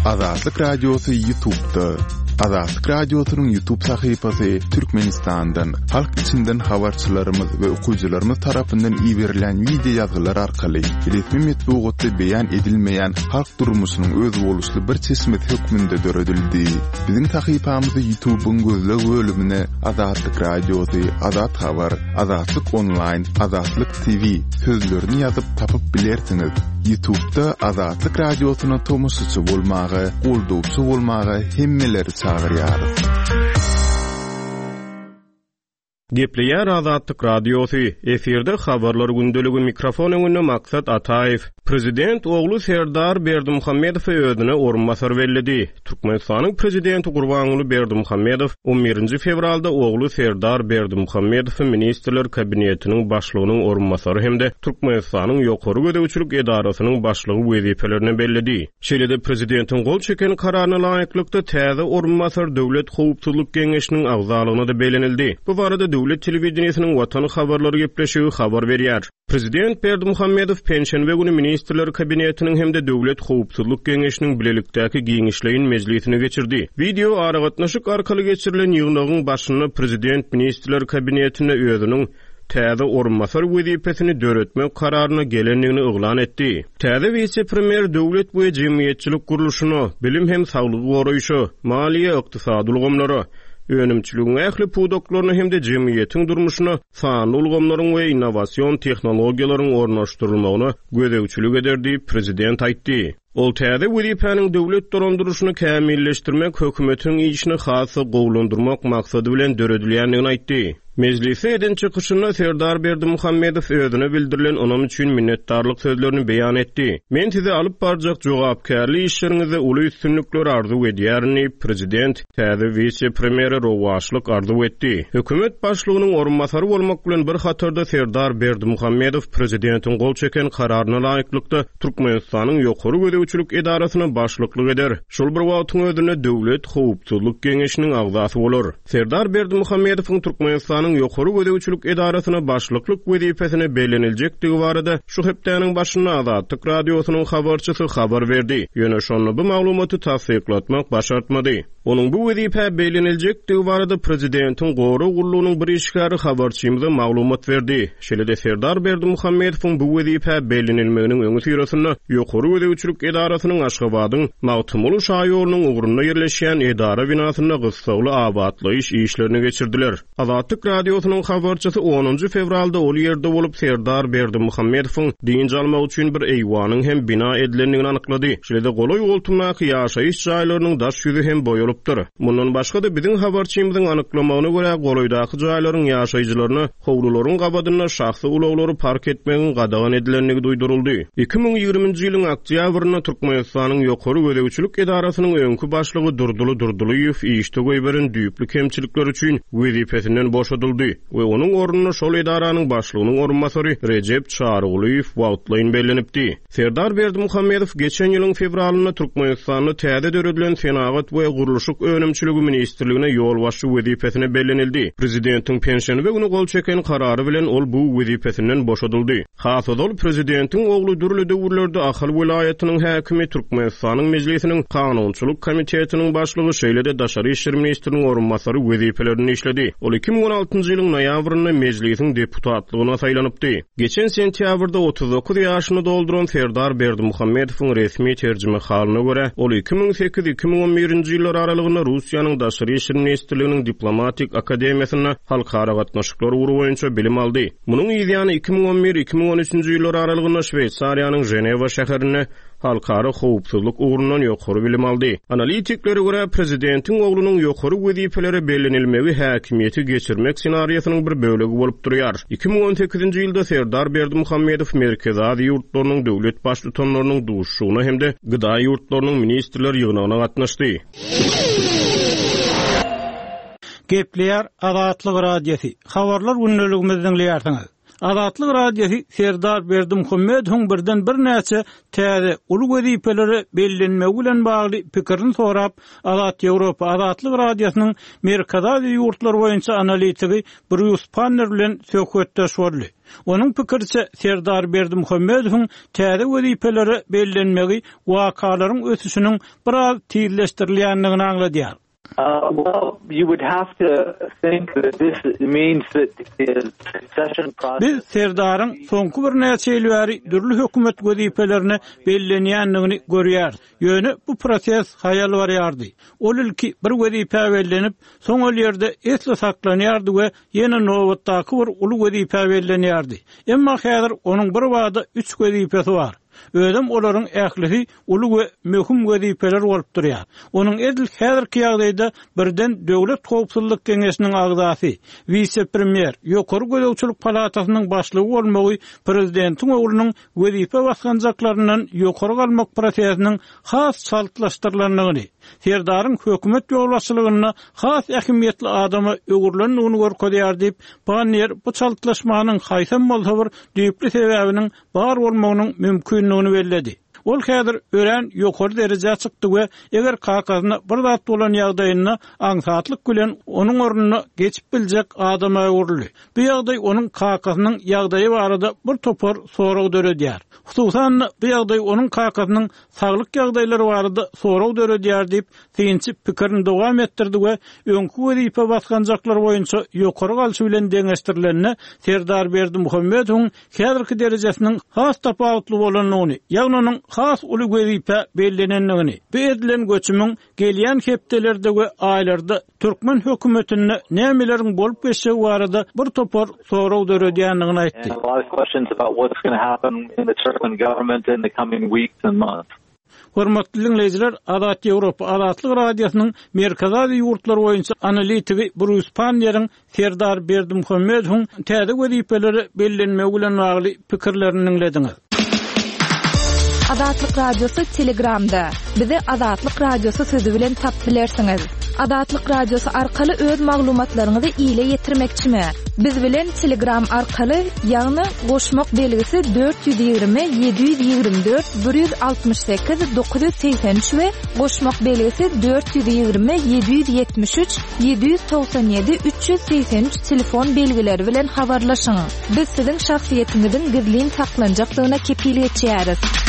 Azatlyk Radiosy Ýutubda. Azatlyk Radiosynyň Ýutub sahypasy Türkmenistandan, halk içinden habarçylarymyz we okyjylarymyz tarapyndan iberilýän wideo ýazgylar arkaly resmi metbugatda beýan edilmeýän halk durmuşynyň özboluşly bir çeşmesi hökmünde döredildi. Biziň sahypamyzy Ýutubyň gözleg bölümine Azatlyk Radiosy, Azat Habar, Azatlyk Onlaýn, Azatlyk TV sözlerini ýazyp tapyp bilersiňiz. Ýutubda Azatlyk Radiosyna tomaşaçy bolmaga, goldawçy bolmaga hemmeleri çagyrýarys. Gepleýär Azatlyk Radiosy, efirde Habarlar gündeligi, mikrofon öňünde Maksat Ataýew. Prezident ogly Serdar Berdimuhamedowy özüne orunbasar belledi. Türkmenistanyň Prezidenti Gurbanguly Berdimuhamedow on birinji fewralda ogly Serdar Berdimuhamedowy Ministrler Kabinetiniň Başlygynyň orunbasary hem-de Türkmenistanyň Ýokary gözegçilik edarasynyň başlygy wezipelerine belledi. Şeýle-de Prezidentiň gol çeken Kararyna laýyklykda, täze orunbasar Döwlet howpsuzlyk geňeşiniň agzalygyna-da bellenildi. Bu barada döwlet telewideniýesiniň Watan habarlary gepleşigi habar berýär. Prezident Berdimuhamedow penşenbe güni Ministrler Kabinetiniň hem-de Döwlet howpsuzlyk geňeşiniň bilelikdäki giňişleýin mejlisini geçirdi. Wideo aragatnaşyk arkaly geçirilen ýygnagyň başynda prezident Ministrler Kabinetinde özüniň täze orunbasar wezipesini döretmek kararyna gelendigini yglan etdi. Täze wise-premýer döwlet we jemgyýetçilik gurluşyna, bilim hem saglygy goraýşa, maliýe-ykdysady ulgamlara, önümçiligiň ähli pudaklaryna hem-de jemgyýetiň durmuşyna sanly ulgamlaryň we innowasion tehnologiýalaryň ornaşdyrylmagyna gözegçilik eder diýip, prezident aýtdy. Ol täze wezipäniň döwlet dolandyryşyny kämilleşdirmek, hökümetiň işini has-da gowulandyrmak maksady bilen döredilýändigini aýtdy. Mejlisde eden çykyşynda Serdar Berdimuhamedow özüne bildirilen ynam üçin minnetdarlyk sözlerini beýan etdi. Men size alyp barjak jogapkärli işleriňizde uly üstünlikleri arzuw edýärin diýip, prezident täze wise-premýere rowaçlyk arzuw etdi. Hökümet başlygynyň orunbasary bolmak bilen bir hatarda Serdar Berdimuhamedow prezidentiň gol çeken Kararyna laýyklykda Türkmenistanyň Ýokary gözegçilik edarasyna başlyklyk eder, şol bir wagtyň özünde Döwlet howpsuzlyk geňeşiniň agzasy bolar. Serdar Berdimuhamedowyň Türkmenistanyň Ýokary gözegçilik edarasyna başlyklyk wezipesine belleniljekdigi barada şu hepdäniň başynda Azatlyk Radiosynyň habarçysy habar berdi, ýöne şonda bu maglumaty tassyklatmak başartmady. Onuň bu wezipä belleniljekdigi barada prezidentiň gorag gullugynyň bir işgäri habarçymyza maglumat berdi. Şeýle-de Serdar Berdimuhamedowyň bu wezipä bellenilmeginiň öňüsyrasynda Ýokary gözegçilik edarasynyň Aşgabadyň Magtymguly şaýolunyň ugrunda ýerleşýän edara binasynda gyssagly abatlaýyş işlerini geçirdiler. Azatlyk Radiosynyň habarçysy onunjy fewralda ol ýerde bolup, Serdar Berdimuhamedowyň dynç almagy üçin bir eýwanyň hem bina edilendigini anyklady. Şeýle-de golaý-goltumdaky ýaşaýyş jaýlarynyň daş ýüzi hem boýalypdyr. Mundan başga-da, biziň habarçymyzyň anyklamagyna görä, golaýdaky jaýlaryň ýaşaýjylaryna howlularyň gabadynda şahsy ulaglary park etmegiň gadagan edilendigi duýduryldy. 2020-nji ýylyň oktýabrynda Türkmenistanyň Ýokary gözegçilik edarasynyň öňki başlygy Durdyly Durdylyýew işde goýberen düýpli kemçilikleri üçin wezipesinden boşadyldy we onuň ornuna şol edaranyň başlygynyň orunbasary Rejep Çarygulyýew wagtlaýyn bellenipdi. Serdar Berdimuhamedow geçen ýylyň fewralynda Türkmenistanda täze döredilen Senagat we gurluşyk önümçiligi ministrligine ýolbaşçy wezipesine bellenildi. Prezidentiň penşenbe güni gol çeken karary bilen ol bu wezipesinden boşadyldy. Has ozal, prezidentiň ogly dürli döwürlerde Ahal welaýatynyň häkimi, Türkmenistanyň Mejlisiniň Kanunçylyk komitetiniň başlygy, şeýle-de daşary işler ministriniň orunbasary wezipelerinde işledi. Ol 2016-njy ýylyň noýabrynda Mejlisiň deputatlygyna saýlanypdy. Geçen sentýabrda 39 ýaşyny dolduran Serdar Berdimuhamedowyň resmi terjimehalyna görä, ol 2008, 2011-nji ýyllar aralygynda Russiýanyň Daşary işler ministrliginiň Diplomatik akademiýasynda halkara gatnaşyklar ugry boýunça bilim aldy. Munuň yzýany 2011, 2013-nji ýyllar aralygynda Şweýsariýanyň Ženewa şäherinde halkara howpsuzlyk ugrundan ýokary bilim aldy. Analitiklere görä, prezidentiň oglunyň ýokary wezipelere bellenilmegi häkimiýeti geçirmek ssenariýasynyň bir bölegi bolup durýar. 2018-nji ýylda Serdar Berdimuhamedow Merkezi Aziýa ýurtlarynyň döwlet Baştutanlarynyň duşuşygyna hem-de GDA ýurtlarynyň ministrler ýygnagyna gatnaşdy. Gepleýär Azatlyk Radiosy, Habarlar gündeligimizi diňleýärsiňiz. Azatlyk Radiosy Serdar Berdimuhamedowyň birden birnäçe täze uly wezipelere bellenmegi bilen bagly pikirini sorap, Azat Ýewropa Azatlyk Radiosynyň Merkezi Aziýa ýurtlary boýunça analitigi Brýus Panner bilen söhbetdeş boldy. Onuň pikiriçe, Serdar Berdimuhamedowyň täze wezipelere bellenmegi wakalaryň ösüşiniň biraz tizleşdirilýändigini aňladýar. Biz Serdaryň soňky birnäçe ýyl bäri dürli hökümet wezipelerine bellenýändigini görýäris. Ýöne bu proses haýal barýardy. Ol ilki bir wezipä bellenip, soň ol ýerde esli saklanýardy we ýene nobatdaky bir uly wezipä bellenýärdi. Emma häzir onuň birbada üç wezipesi bar. Özem olaryň ählisi uly we möhüm wezipeler bolup durýar. Onuň edil häzirki ýagdaýda birden Döwlet howpsuzlyk geňeşiniň agzasy, wise-premýer, Ýokary gözegçilik palatasynyň başlygy bolmagy prezidentiň oglunyň wezipe basgançaklaryndan ýokary galmak prosesiniň has çaltlaşdyrylandygyny, Serdaryň hökümet ýolbaşçylygynda has ähmiýetli adama öwrülendigini görkezýär diýip, Panniýer bu çaltlaşmanyň haýsam bolsa bir düýpli sebäbiniň bar bolmagynyň mümkindigini belledi. Ol häzir örän ýokary derejä çykdy we eger kakasyna bir zat bolan ýagdaýynda aňsatlyk bilen onuň ornuna geçip biljek adama öwrüldi. Bu ýagdaý onuň kakasynyň ýagdaýy barada bir topar sorag döredýär. Hususan-da, bu ýagdaý onuň kakasynyň saglyk ýagdaýlary barada sorag döredýär diýip, synçy pikirini dowam etdirdi we öňki wezipe basgançaklary boýunça ýokary galşy bilen deňeşdirilende Serdar Berdimuhamedowyň häzirki derejesiniň has tapawutly bolandygyny, ýagny onuň has uly wezipä bellenendigini, bu edilen göçümiň gelýän hepdelerde we aýlarda türkmen hökümetinde nämeleriň bolup geçjegi barada bir topar sorag döredýändigini aýtdy. Hormatly diňleýjiler, Azat Ýewropa Azatlyk Radiosynyň Merkezi Aziýa ýurtlary boýunça analitigi Brýus Panniýeriň Serdar Berdimuhamedowyň täze wezipelere bellenmegi bilen bagly pikirlerini diňlediňiz. Azatlyk Radiosy Telegramda. Bizi Azatlyk Radiosy sözi bilen tapyp bilersiňiz. Azatlyk Radiosy arkaly öz maglumatlaryňyzy ile ýetirmekçimi? Biz bilen Telegram arkaly, ýagny goşmak belgisi 420 724 168 983 we goşmak belgisi 420 773 797 383 telefon belgileri bilen habarlaşyň. Biz siziň şahsyýetiňiziň gizlin saklanjakdygyna kepil geçýäris.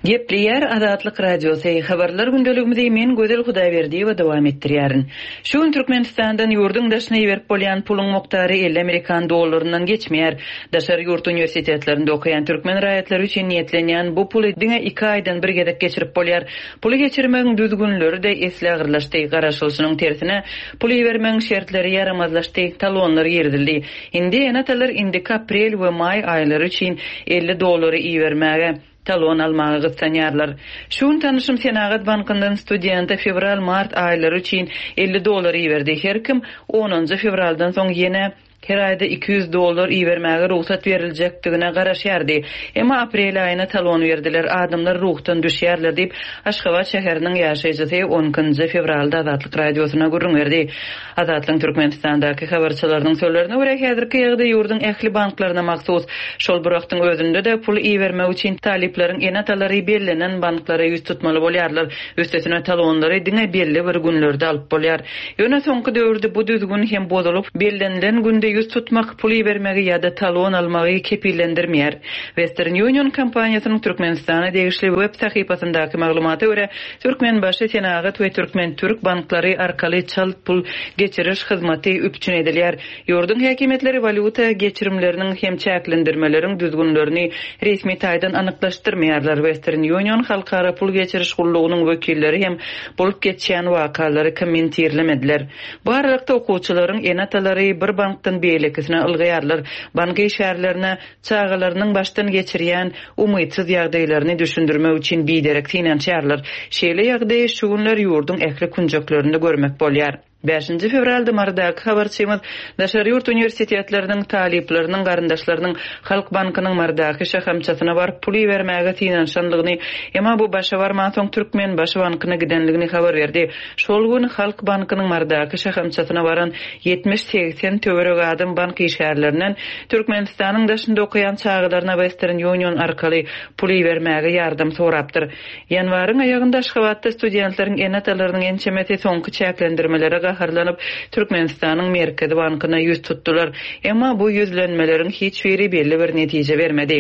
Gepleýär Azatlyk Radiosy, Habarlar gündeligimizi men Gözel Hudaýberdiýewa dowam etdirýärin. Şu gün Türkmenistandan ýurduň daşyna iberip bolýan puluň mukdary 50 amerikan dollaryndan geçmeýär. Daşary ýurt uniwersitetlerinde okaýan türkmen raýatlary üçin niýetlenýän bu puly diňe iki aýdan bir gezek geçirip bolýar. Puly geçirmegiň düzgünleri-de esli agyrlaşdy. Garaşylyşynyň tersine, pul ibermegiň şertleri ýaramazlaşdy, talonlar girizildi. Indi ene-atalar indiki aprel we maý aýlary üçin 50 dollary ibermäge, talon almaga gyssanýarlar. Şu gün tanyşym Senagat bankyndan studente fewral-mart aýlary üçin 50 dollar iberdi. Her kim onunjy fewraldan soň ýene her aýda 200 dollar ibermäge rugsat beriljekdigine garaşýardy. Emma aprel aýyna talon berdiler. Adamlar ruhdan düşýärler diýip, Aşgabat şäheriniň ýaşaýjysy on ikinji fewralda Azatlyk Radiosyna gürrüň berdi. Azatlygyň Türkmenistandaky habarçylarynyň sözlerine görä, häzirki ýagdaý ýurduň ähli banklaryna mahsus. Şol bir wagtyň özünde-de, pul ibermek üçin talyplaryň ene-atalary bellenen banklara ýüz tutmaly bolýarlar. Üstesine, talonlary diňe belli bir günlerde alyp bolýar. Ýöne soňky döwürde bu düzgün hem bozulyp, bellenilen günde ýüz tutmak pul ibermegi ýa-da talon almagy kepillendirmeýär. Western Union kompaniýasynyň Türkmenistana degişli web sahypasyndaky maglumata görä, Türkmenbaşy Senagat we Türkmen-Türk banklary arkaly çalt pul geçiriş hyzmaty üpjün edilýär. Ýurduň häkimiýetleri walýuta geçirimleriniň hem çäklendirmeleriň düzgünlerini resmi taýdan anyklaşdyrmaýarlar. Western Union halkara pul geçiriş gullugynyň wekilleri hem bolup geçýän wakalary kommentirlemediler. Bu aralykda okuwçylaryň ene-atalary bir bankdan beýlekisine ylgaýarlar. Bank işgärlerine çagalarynyň başdan geçirýän umytsyz ýagdaýlaryny düşündirmek üçin biderek synanyşýarlar. Şeýle ýagdaýy şu günler ýurduň ähli künjeklerinde görmek bolýar. Bäşinji fewralda Marydaky habarçymyz daşary ýurt uniwersitetleriniň talyplarynyň garyndaşlarynyň Halk bankynyň Marydaky şahamçasyna baryp pul ibermäge synanyşanlygyny, emma bu başa barmansoň Türkmenbaşy bankyna gidenligini habar berdi. Şol gün Halk bankynyň Marydaky şahamçasyna baran 70-80 töweregi adam bank işgärlerinden Türkmenistanyň daşynda okaýan çagalaryna Western Union arkaly pul ibermäge ýardam sorapdyr. Ýanwaryň aýagynda Aşgabatda studentleriň ene-atalarynyň ençemesi soňky çäklendirmelere gaharlanyp, Türkmenistanyň Merkezi bankyna ýüz tutdular. Emma bu ýüzlenmeleriň hiç biri belli bir netije bermedi.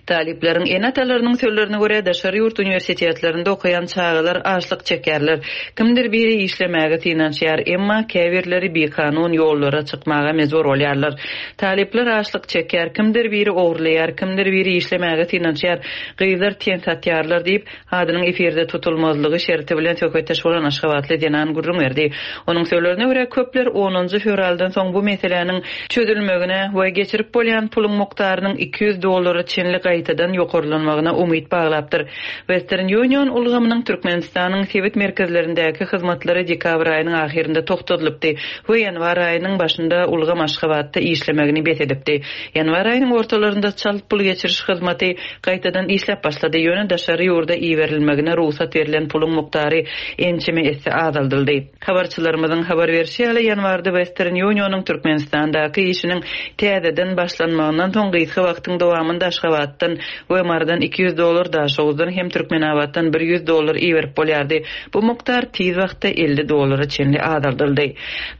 Talyplaryň ene-atalarynyň sözlerine görä, daşary ýurt uniwersitetlerinde okaýan çagalar açlyk çekýärler. Kimdir biri işlemäge synanyşýar, emma käbirleri bikanun ýollara çykmaga mejbur bolýarlar. Talyplar açlyk çekýär, kimdir biri ogurlaýar, kimdir biri işlemäge synanyşýar. Gyzlar ten satýarlar diýip, adynyň efirde tutulmazlygy şerti bilen söhbetdeş bolan aşgabatly zenan gürrüň berdi. Onuň sözlerine görä, köpler onunjy fewraldan soň bu meseläniň çözülmegine we geçirip bolýan puluň mukdarynyň 200 dollara çenli gaýtadan ýokarlanmagyna umyt baglapdyr. Western Union ulgamynyň Türkmenistanyň sebit merkezlerindäki hyzmatlary dekabr aýynyň ahyrynda togtadylypdy we ýanwar aýynyň başynda ulgam Aşgabatda işlemegini bes edipdi. Ýanwar aýynyň ortalarynda çalt pul geçiriş hyzmaty gaýtadan işläp başlady, ýöne daşary ýurda iberilmegine rugsat berlen puluň mukdary ençeme esse azaldyldy. Habarçylarymyzyň habar berşi ýaly, ýanwarda Western Union-yň Türkmenistandaky işiniň täzeden başlanmagyndan soň gysga wagtyň dowamynda Aşgabatdan we Marydan 200 dollar, Daşoguzdan hem Türkmenabatdan 100 dollar iberip bolýardy. Bu mukdar tiz wagtda 50 dollara çenli azaldyldy.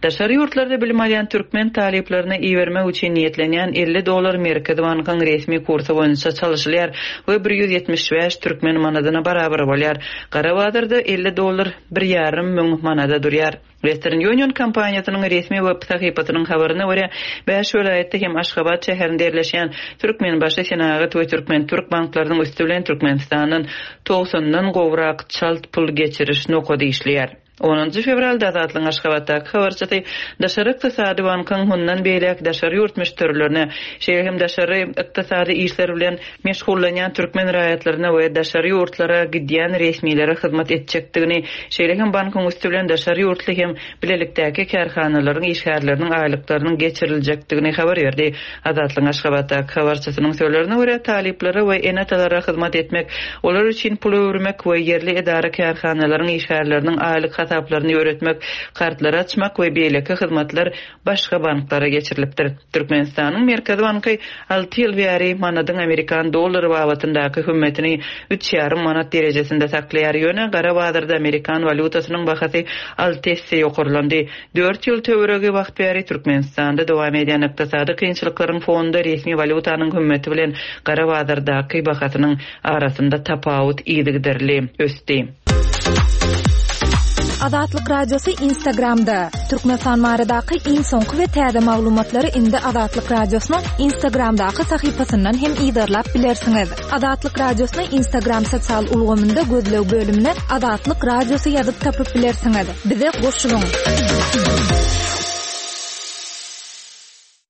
Daşary ýurtlarda bilim alýan türkmen talyplaryna ibermek üçin niýetlenýän 50 dollar Merkezi bankyň resmi kursy boýunça çalyşylýar we 175 türkmen manadyna barabar bolýar. Gara bazarda 50 dollar bir ýarym müň manada durýar. Western Union kompaniýasynyň resmi web sahypasynyň habaryna görä, bäş welaýatda hem Aşgabat şäherinde ýerleşýän Türkmenbaşy Senagat we Türkmen-Türk banklarynyň üsti bilen Türkmenistandan togsandan gowrak çalt pul geçiriş nokady işleýär. Onunjy fewralda Azatlygyň Aşgabatdaky habarçysy Daşary ykdysady bankyň mundan beýläk daşary ýurt müşderilerine, şeýle hem daşary ykdysady işler bilen meşgullanýan türkmen raýatlaryna we daşary ýurtlara gidýän resmilere hyzmat etjekdigini, şeýle hem bankyň üsti bilen daşary ýurtly hem bilelikdäki kärhanalaryň işgärleriniň aýlyklarynyň geçiriljekdigini habar berdi. Azatlygyň Aşgabatdaky habarçysynyň sözlerine görä, talyplara we ene-atalara hyzmat etmek, olar üçin pul öwürmek we ýerli edara-kärhanalaryň işgärleriniň aýlyk hasaplaryny ýöretmek, kartlary açmak we beýleki hyzmatlar başga banklara geçirilipdir. Türkmenistanyň Merkezi banky alty ýyl bäri manadyň amerikan dollary babatyndaky hümmetini üç ýarym manat derejesinde saklaýar, ýöne gara bazarda amerikan walýutasynyň bahasy alty esse ýokarlandy. Dört ýyl töweregi wagt bäri Türkmenistanda dowam edýän ykdysady kynçylyklaryň fonunda resmi walýutanyň hümmeti bilen gara bazardaky bahasynyň arasynda tapawut yzygiderli ösdi. Azatlyk Radiosy Instagramda, Türkmenistan baradaky iň soňky we täze maglumatlary indi Azatlyk Radiosynyň Instagramdaky sahypasyndan hem yzarlap bilersiňiz. Azatlyk Radiosyny Instagram sosial ulgamynda gözleg bölümine Azatlyk Radiosy ýazyp tapyp bilersiňiz. Bize goşulyň!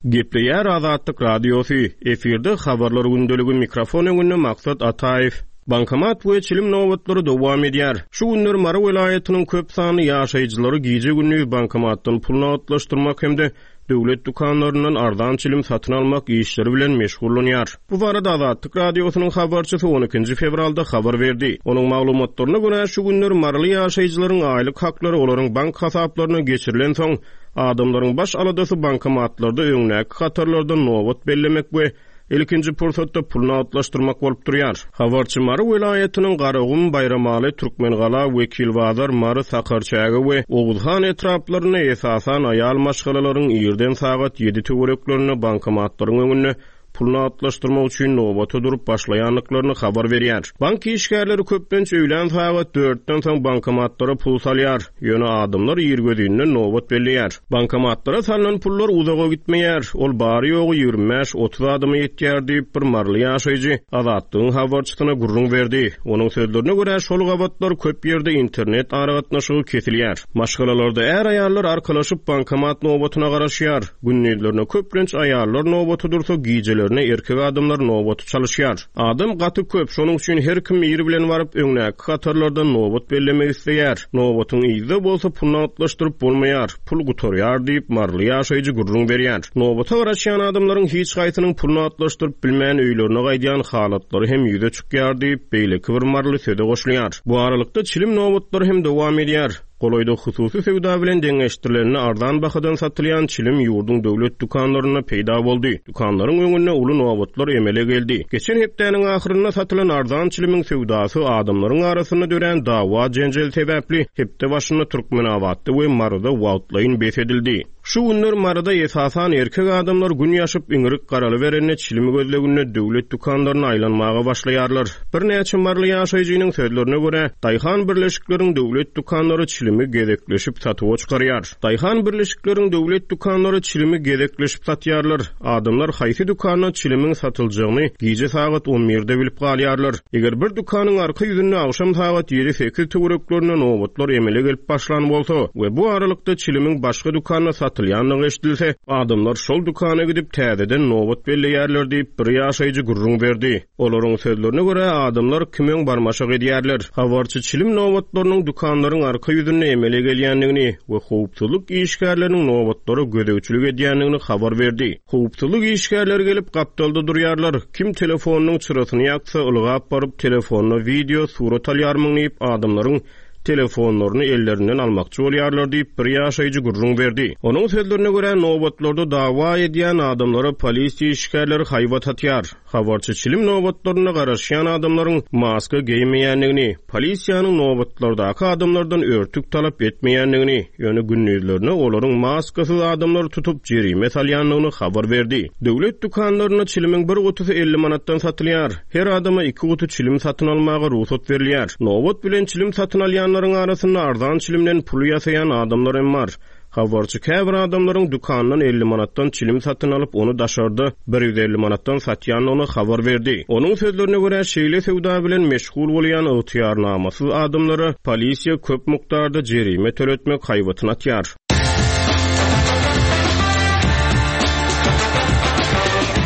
Gepleýär Azatlyk Radiosy, efirde Habarlar gündeligi mikrofon öňünde Maksat Ataýew. Bankomat we çilim nobatlary dowam edýär. Şu günler Mary welaýatynyň köp sanly ýaşaýjylary gije-gündiz bankomatdan pul nagtlaşdyrmak hem-de döwlet dükanlaryndan arzan çilim satyn almak işleri bilen meşgullanýar. Bu barada Azatlyk Radiosynyň habarçysy on ikinji fewralda habar berdi. Onuň maglumatlaryna görä, şu günler maryly ýaşaýjylaryň aýlyk haklary olaryň bank hasaplaryna geçirilensoň, adamlaryň baş aladasy bankomatlarda öňdäki hatarlarda nobat bellemek we ilkinji pursatda pul nagtlaşdyrmak bolup durýar. Habarçy Mary welaýatynyň Garagum, Baýramaly, Türkmengala, Wekilbazar, Mary, Sakarçäge we Oguzhan etraplarynda esasan aýal maşgalalaryň irden sagat ýedi töwereklerinde bankomatlaryň öňünde pul nagtlaşdyrmak üçin nobata durup başlaýandyklaryny habar berýär. Bank işgärleri köplenç öýlän sagat dörtden soň bankomatlara pul salýar, ýöne adamlar irgözinden nobat belleýär. Bankomatlara salnan pullar uzaga gitmeýär, ol bary-ýogy 25-30 adama ýetýär diýip, bir maryly ýaşaýjy Azatlygyň habarçysyna gürrüň berdi. Onuň sözlerine görä, şol gabatlar köp ýerde internet aragatnaşygy kesilýär. Maşgalalarda är-aýallar arkalaşyp bankomat nobatyna garaşýar. Gündizlerine köplenç aýallar nobata dursa, gijelerine. Gijelerine erkek adamlar nobaty çalyşýar. Adam gaty köp, şonuň üçin her kim ir bilen baryp, öňdäki hatarlardan nobat bellemek isleýär. Nobatyň yzda bolsa pul nagtlaşdyryp bolmaýar, pul gutarýar diýip, maryly ýaşaýjy gürrüň berýär. Nobata garaşýan adamlaryň hiç haýsynyň pul nagtlaşdyryp bilmän öýlerine gaýdýan halatlary hem ýüze çykýar diýip, beýleki bir maryly söze goşulýar. Bu aralykda çilim nobatlary hem dowam edýär. Golaýda hususy söwda bilen deňeşdirilende arzan bahadan satylýan çilim ýurduň döwlet dükanlarynda peýda boldy. Dükanlaryň öňünde uly nobatlar emele geldi. Geçen hepdäniň ahyrynda satylan arzan çilimiň söwdasy adamlaryň arasynda dörän dawa-jenjel sebäpli hepde başynda Türkmenabatda we Maryda wagtlaýyn bes edildi. Şu günler Maryda esasan erkek adamlar gün ýaşyp iňrik garalyberende çilim gözleginde döwlet dükanlaryna aýlanmaga başlaýarlar. Birnäçe maryly ýaşaýjynyň sözlerine görä, daýhan birleşikleriň döwlet dükanlary çilimi gezekleşip satuwa çykarýar. Daýhan birleşikleriň döwlet dükanlary çilimi gezekleşip satýarlar. Adamlar haýsy dükanda çilimiň satyljagyny gije sagat on birde bilip galýarlar. Eger bir dükanyň arka ýüzünde agşam sagat ýedi-sekiz töwereklerinde nobatlar emele gelip başlan bolsa we bu aralykda çilimiň başga dükanda satylýandygy eşidilse, adamlar şol dükana gidip, täzeden nobat belleýärler diýip, bir ýaşaýjy gürrüň berdi. Olaryň sözlerine görä, adamlar kim öň barmaşak edýärler. Habarçy çilim nobatlarynyň dükanlaryň arka ýüzünde emele gelýändigini we howpsuzlyk işgärleriniň nobatlara gözegçilik edýändigini habar berdi. Howpsuzlyk işgärleri gelip gapdalda durýarlar, kim telefonynyň çyrasyny ýaksa, ylgap baryp telefonda wideo, surat alýarmyň diýip adamlaryň telefonlaryny ellerinden almakçy bolýarlar diýip, bir ýaşaýjy gürrüň berdi. Onuň sözlerine görä, nobatlarda dawa edýän adamlara polisiýa işgärleri haýbat atýar. Habarçy çilim nobatlarynda garaşýan adamlaryň maska geýmeýändigini, polisiýanyň nobatlardaky adamlardan örtük talap etmeýändigini, ýöne gündizlerine olaryň maskasyz adamlary tutup jerime salýandygyny habar berdi. Döwlet dükanlarynda çilimiň bir gutusy 50 manatdan satylýar. Her adama iki guty çilim satyn almaga rugsat berilýär. Nobat bilen çilim satyn alýanlaryň arasynda arzan çilimden pul ýasaýan adamlar hem bar. Habarçy käbir adamlaryň dükandan 50 manatdan çilim satyn alyp, ony daşarda 150 manatdan satýandygyny habar berdi. Onuň sözlerine görä, şeýle söwda bilen meşgul bolýan ygtyýarnamasyz adamlara polisiýa köp mukdarda jerime töletmek haýbatyny atýar.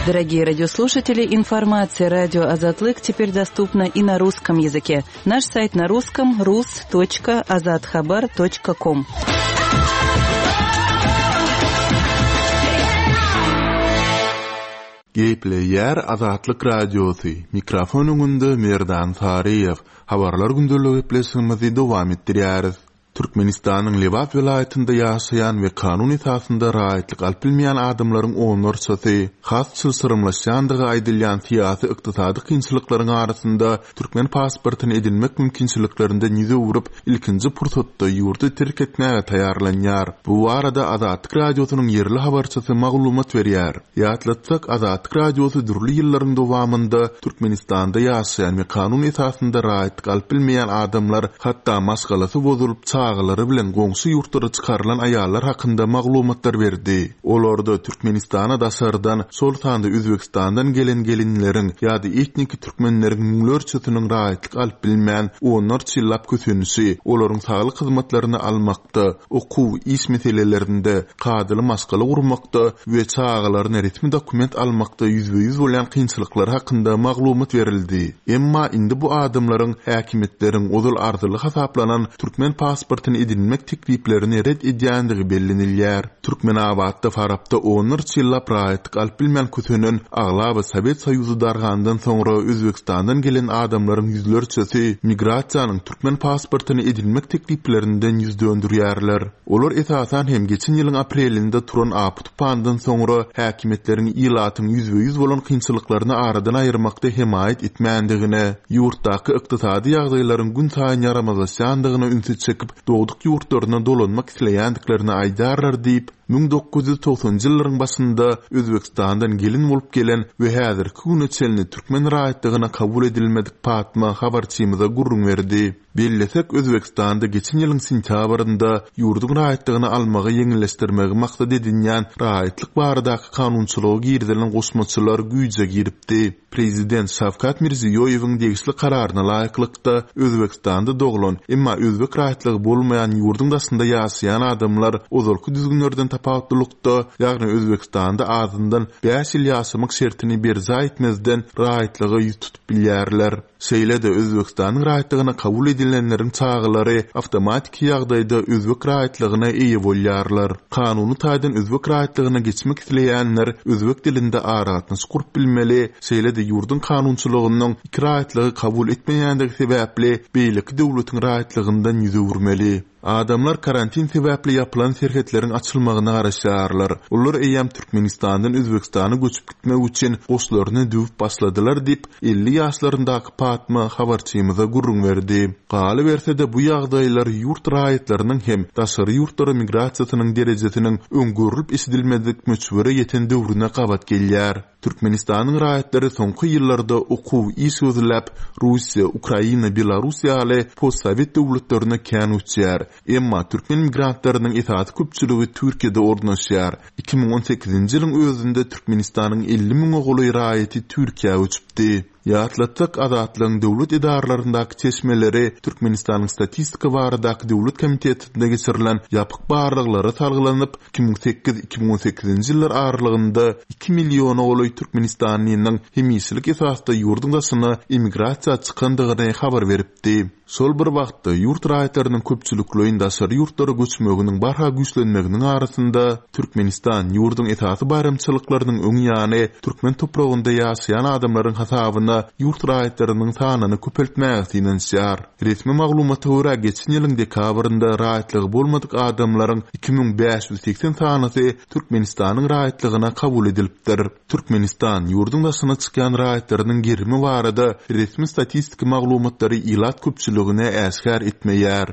Дорогие радиослушатели, информация радио Азатлык теперь доступна и на русском языке. Наш сайт на русском rus.azathabar.com. Gepleýär Azatlyk Radiosy, mikrofon öňünde Merdan Saryýew. Habarlar gündelik gepleşigimizi dowam etdirýäris. Türkmenistanyň Lebap welaýatynda ýaşaýan we kanun esasynda raýatlyk alyp bilmeýän adamlaryň onlarçasy has çylşyrymlaşýandygy aýdylýan syýasy-ykdysady kynçylyklaryň arasynda türkmen pasportyny edinmek mümkinçiliklerinden ýüz öwrüp, ilkinji pursatda ýurdy terk etmäge taýýarlanýar. Bu barada Azatlyk Radiosynyň ýerli habarçysy maglumat berýär. Ýatlatsak, Azatlyk Radiosy dürli ýyllaryň dowamynda Türkmenistanda ýaşaýan we kanun esasynda raýatlyk alyp bilmeýän adamlar, hatda maşgalasy bozulyp, çagalary bilen goňşy ýurtlara çykarylan aýallar hakynda maglumatlar berdi. Olarda Türkmenistana daşardan, şol sanda Özbegistandan gelen gelinleriň ýa-da etniki türkmenleriň müňlerçesiniň raýatlyk alyp bilmän, onlarça ýyllap kösenişi, olaryň saglyk hyzmatlaryny almakda, okuw, iş meselelerinde, kadaly maşgala gurmakda we çagalaryna resmi dokument almakda ýüzbe-ýüz bolýan kynçylyklary hakynda maglumat berildi. Emma indi bu adamlaryň häkimiýetleriň ozal arzyly hasaplanan türkmen pasportyny edinmek tekliplerini ret edýändigi bellenilýär. Türkmenabatda, Farapda onlarça ýyllap raýatlyk alyp bilmän kösenen, aglaba Sowet Soýuzy dargandan soňra Özbegistandan gelen adamlaryň ýüzlerçesi migrasiýanyň türkmen pasportyny edinmek tekliplerinden ýüz döndürýärler. Olar esasan hem geçen ýylyň aprelinde turan apy-tupandan soňra häkimiýetleriň ilatyň ýüzbe-ýüz bolan kynçylyklaryny aradan aýyrmakda hemaýat etmändigine, ýurtdaky ykdysady ýagdaýlaryň günsaýyn ýaramazlaşýandygyna ünsi çekip, dogduk ýurtlaryna dolanmak isleýändiklerini aýdýarlar diýip, 1990-njy ýyllaryň başynda Özbegistandan gelin bolup gelen we häzirki güne çenli türkmen raýatlygyna kabul edilmedik Patma habarçymyza gürrüň berdi. Bellesek, Özbegistanda geçen ýylyň sentýabrynda ýurduň raýatlygyny almagy ýeňilleşdirmegi maksat edinýän raýatlyk baradaky kanunçylyga girizilen goşmaçalar güýje giripdi. Prezident Şawkat Mirziýoýewiň degişli kararyna laýyklykda, Özbegistanda doglan, emma özbek raýatlygy bolmaýan ýurduň daşynda ýaşaýan adamlar ozalky düzgünlerden. tapawutlylykda, ýagny Özbegistanda azyndan bäş ýyl ýaşamak şertini berjaý etmezden raýatlyga ýüz tutup bilýärler. Şeýle-de, Özbegistanyň raýatlygyna kabul edilenleriň çagalary awtomatiki ýagdaýda özbek raýatlygyna eýe bolýarlar. Kanuny taýdan özbek raýatlygyna geçmek isleýänler özbek dilinde aragatnaşyk gurup bilmeli, şeýle-de ýurduň kanunçylygynyň iki raýatlygy kabul etmeýändigi sebäpli beýleki döwletiň raýatlygyndan ýüz öwürmeli. Adamlar karantin sebäpli ýapylan serhetleriň açylmagyna garaşýarlar. Olar eýýäm Türkmenistandan Özbegistana göçüp gitmek üçin goşlaryny düwüp başladylar diýip, 50 ýaşlaryndaky Patma habarçymyza gürrüň berdi. Galyberse-de, bu ýagdaýlar ýurt raýatlarynyň hem daşary ýurtlara migrasiýasynyň derejesiniň öň görlüp-eşidilmedik möçbere ýeten döwrüne gabat gelýär. Türkmenistanyň raýatlary soňky ýyllarda okuw, iş gözläp, Russiýa, Ukraina, Belarus ýaly postsowet döwletlerine kän göçýär. Emma türkmen migrantlarynyň esasy köpçüligi Türkiýede ornaşýar. 2018-nji ýylyň özünde Türkmenistanyň 50 müňe golaý raýaty Türkiýä göçüpdi. Ýatlatsak, Azatlygyň döwlet edaralaryndaky çeşmeleri Türkmenistanyň Statistika baradaky döwlet komitetinde geçirilen ýapyk barlaglara salgylanyp, 2008, 2018-nji ýyllar aralygynda iki milliona golaý türkmenistanlynyň hemişelik esasda ýurduň daşyna emigrasiýa çykandygyny habar beripdi. Şol bir wagtda, ýurt raýatlarynyň köpçülikleýin daşary ýurtlara göçmeginiň barha güýçlenmeginiň arasynda, Türkmenistan ýurduň esasy baýramçylyklarynyň öň ýany türkmen topragynda ýaşaýan adamlaryň hasabyna ýurt raýatlarynyň sanyny köpeltmäge synanyşýar. Resmi maglumata görä, geçen ýylyň dekabrynda raýatlygy bolmadyk adamlaryň 2580 sanysy Türkmenistanyň raýatlygyna kabul edilipdir. Türkmenistan ýurduň daşyna çykýan raýatlarynyň gerimi barada resmi statistiki maglumatlary ilat köpçüligine äşgär etmeýär.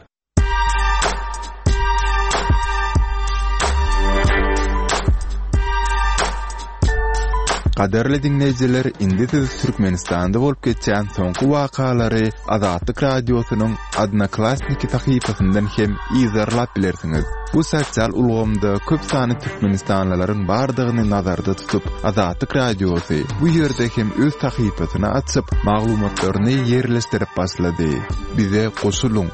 Gadyrly diňleýjiler, indi siz Türkmenistanda bolup geçýän soňky wakalary Azatlyk Radiosynyň Odnoklassniki sahypasyndan hem yzarlap bilersiňiz. Bu sosial ulgamda köp sanly türkmenistanlylaryň bardygyny nazarda tutup, Azatlyk Radiosy bu ýerde hem öz sahypasyny açyp, maglumatlaryny ýerleşdirip başlady. Bize goşulyň!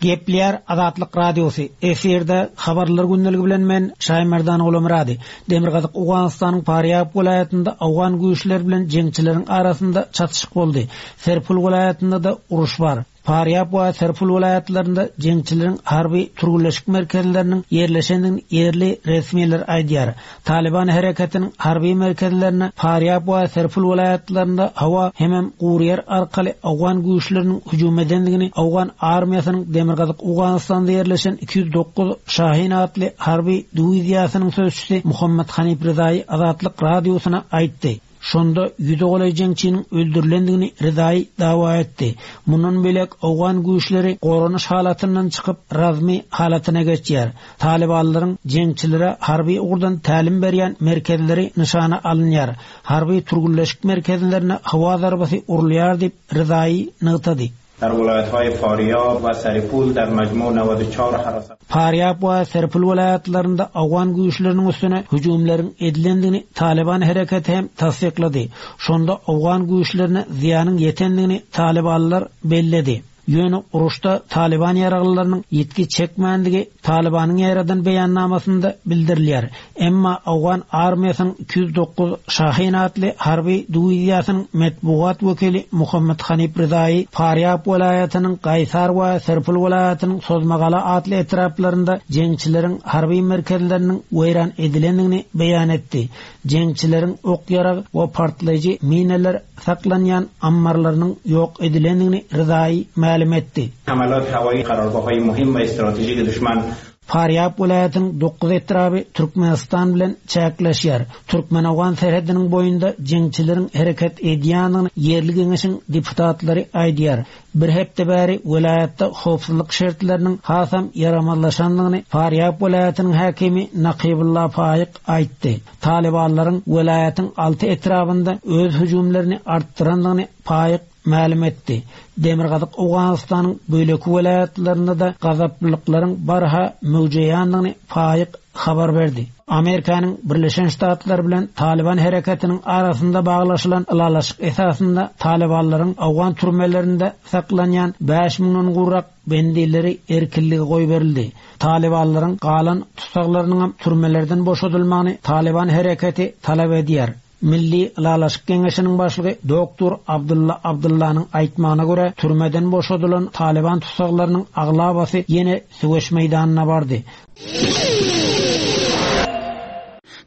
Gepleýär Azatlyk Radiosy, efirde Habarlar gündeligi bilen men, Şaýmerdan Gulamyrady. Demirgazyk Owganystanyň Farýab welaýatynda owgan güýçleri bilen jeňçileriň arasynda çatyşyk boldy. Serpul welaýatynda-da uruş bar. Farýab we Serpul welaýatlarynda jeňçileriň harby türgenleşik merkezleriniň ýerleşendigini ýerli resmiler aýdýar. Talyban hereketiniň harby merkezlerine Farýab we Serpul welaýatlarynda howa hemem gury ýer arkaly owgan güýçleriniň hüjüm edendigini owgan armiýasynyň demirgazyk Owganystanda ýerleşen 209 Şahin atly harby diwiziýasynyň sözçüsi Muhammet Hanif Rezaýy Azatlyk Radiosyna aýtdy. Şonda ýüze golaý jeňçiniň öldürilendigini Rezaýy dawa etdi. Mundan beýläk owgan güýçleri goranyş halatyndan çykyp, razmi halatyna geçýär. Talybanlaryň jeňçilere harby ugurdan tälim berýän merkezleri nyşana alynýar. Harby türgenleşik merkezlerine howa zarbasy urulýar diýip, Rezaýy nygtady. در ولایت‌های فاریاب و سرپل در مجموع 94 حراست Farýab we Serpil welaýatlarynda owgan güýçleriniň üstüne hüjümleriň edilendigini Talyban hereketi hem tassyklady. Şonda owgan güýçlerine zyýanyň ýetendigini talybanlar belledi. Ýöne uruşda Talyban ýaraglylarynyň ýitgi çekmändigi Talybanyň ýaýradan beýannamasynda bildirilýär. Emma owgan armiýasynyň 209 Şahin atly harby diwiziýasynyň metbugat wekili Muhammet Hanif Rezaýy Farýab welaýatynyň Gaýsar we Serpul welaýatynyň Sozmagala atly etraplarynda jeňçileriň harby merkezleriniň weýran edilendigini beýan etdi. Jeňçileriň ok-ýarag we partlaýjy mineler saklanýan ammarlarynyň ýok edilendigini Rezaýy mälim etdi. حملات هوایی قرارگاه‌های مهم و استراتژیک دشمن Farýab welaýatynyň dokuz etraby Türkmenistan bilen çäkleşýär. Türkmen-owgan serhediniň boýunda jeňçileriň hereket edýändigini ýerli geňeşiň deputatlary aýdýar. Bir hepde bäri welaýatda howpsuzlyk şertleriniň hasam ýaramazlaşandygyny Farýab welaýatynyň häkimi Nakybulla Faýyk aýtdy. Talybanlaryň welaýatyň alty etrabynda öz hüjümlerini artdyrandygyny Faýyk mälim etdi. Demirgazyk Owganystanyň beýleki welaýatlarynda-da gazaplylyklaryň barha möwjeýändigini Faýyk. habar berdi. Amerikanyň Birleşen Ştatlary bilen Talyban hereketiniň arasynda baglaşylan ylalaşyk esasynda talybanlaryň owgan türmelerinde saklanýan bäş müňden gowrak bendileri erkinlige goýberildi. Talybanlaryň galan tussaglarynyňam türmelerden boşadylmagyny Talyban hereketi talap edýär. Milli ylalaşyk geňeşiniň başlygy doktor Abdylla Abdyllanyň aýtmagyna görä, türmeden boşadylan talyban tussaglarynyň aglabasy ýene söweş meýdanyna bardy.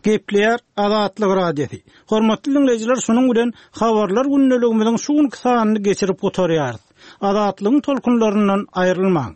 Gepleýär Azatlyk Radiosy. Hormatly diňleýjiler, şunuň bilen Habarlar gündeligimiziň şu günki sanyny geçirip gutarýarys. Azatlygyň tolkunlaryndan aýrylmaň!